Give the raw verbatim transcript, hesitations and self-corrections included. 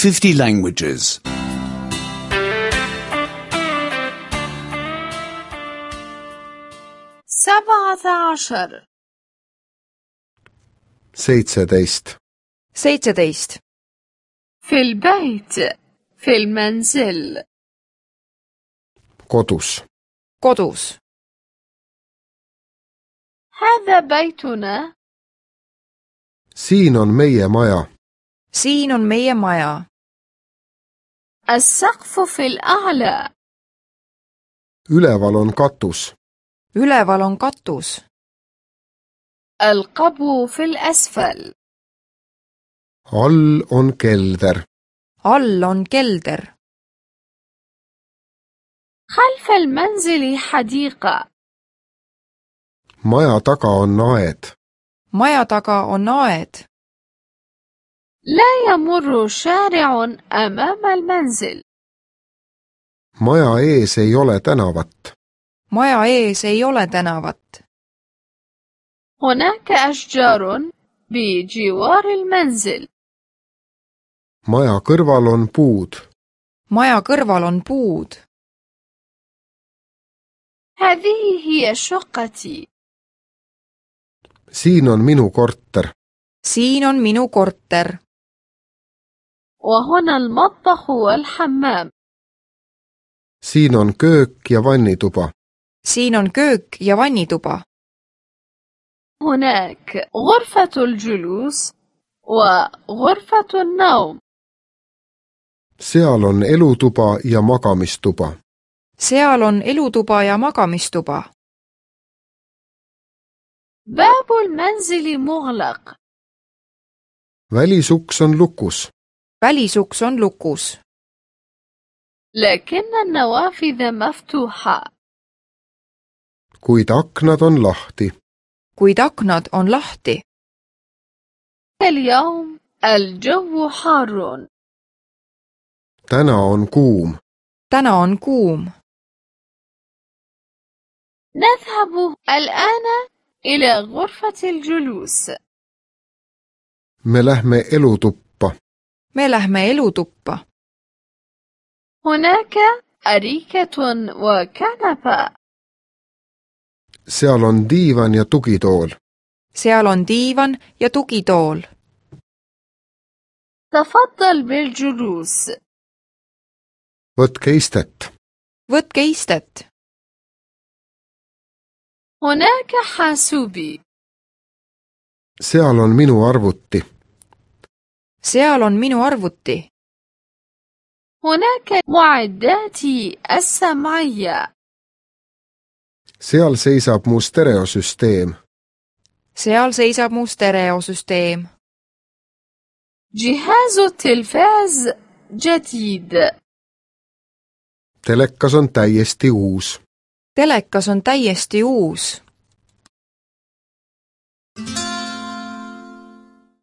fifty languages. سبعة عشر seitseteist, seitseteist, في البيت في المنزل kodus, kodus. هذا بيتنا siin on meie maja, Siin on meie maja. السقف في الأعلى üleval on katus, Üleval on katus. القبو في الأسفل all on kelder, All on kelder. خلف المنزل حديقة maja taga on aed, Maja taga on aed. لا يمر شارع أمام المنزل maja ees ei ole tänavat, Maja ees ei ole tänavat. هناك أشجار بجوار المنزل maja kõrval on puud, Maja kõrval on puud. هذه هي شقتي siin on minu korter, Siin on minu korter. وهنا المطبخ والحمام siin on köök ja vannituba, Siin on köök ja vannituba. هناك غرفة الجلوس وغرفة النوم seal on elutuba ja magamistuba, Seal on elutuba ja magamistuba. باب المنزل مغلق välisuks on lukus, Välisuks on lukus. لكن النوافذ مفتوحة kuid aknad on lahti, Kuid aknad on lahti. اليوم الجو حار täna on kuum, Täna on kuum. نذهب الآن إلى غرفة الجلوس me lähme elutuppa, Me lähme elutuppa. هناك أريكة وكنبة seal on diivan ja tugitool, Seal on diivan ja tugitool. تفضل بالجلوس võtke istet, Võtke istet. هناك حاسوبي seal on minu arvuti, Seal on minu arvuti. هناك معداتي السمعية seal seisab mu stereosüsteem, Seal seisab mu stereosüsteem. جهاز التلفاز جديد telekas on täiesti uus. Telekas on täiesti uus.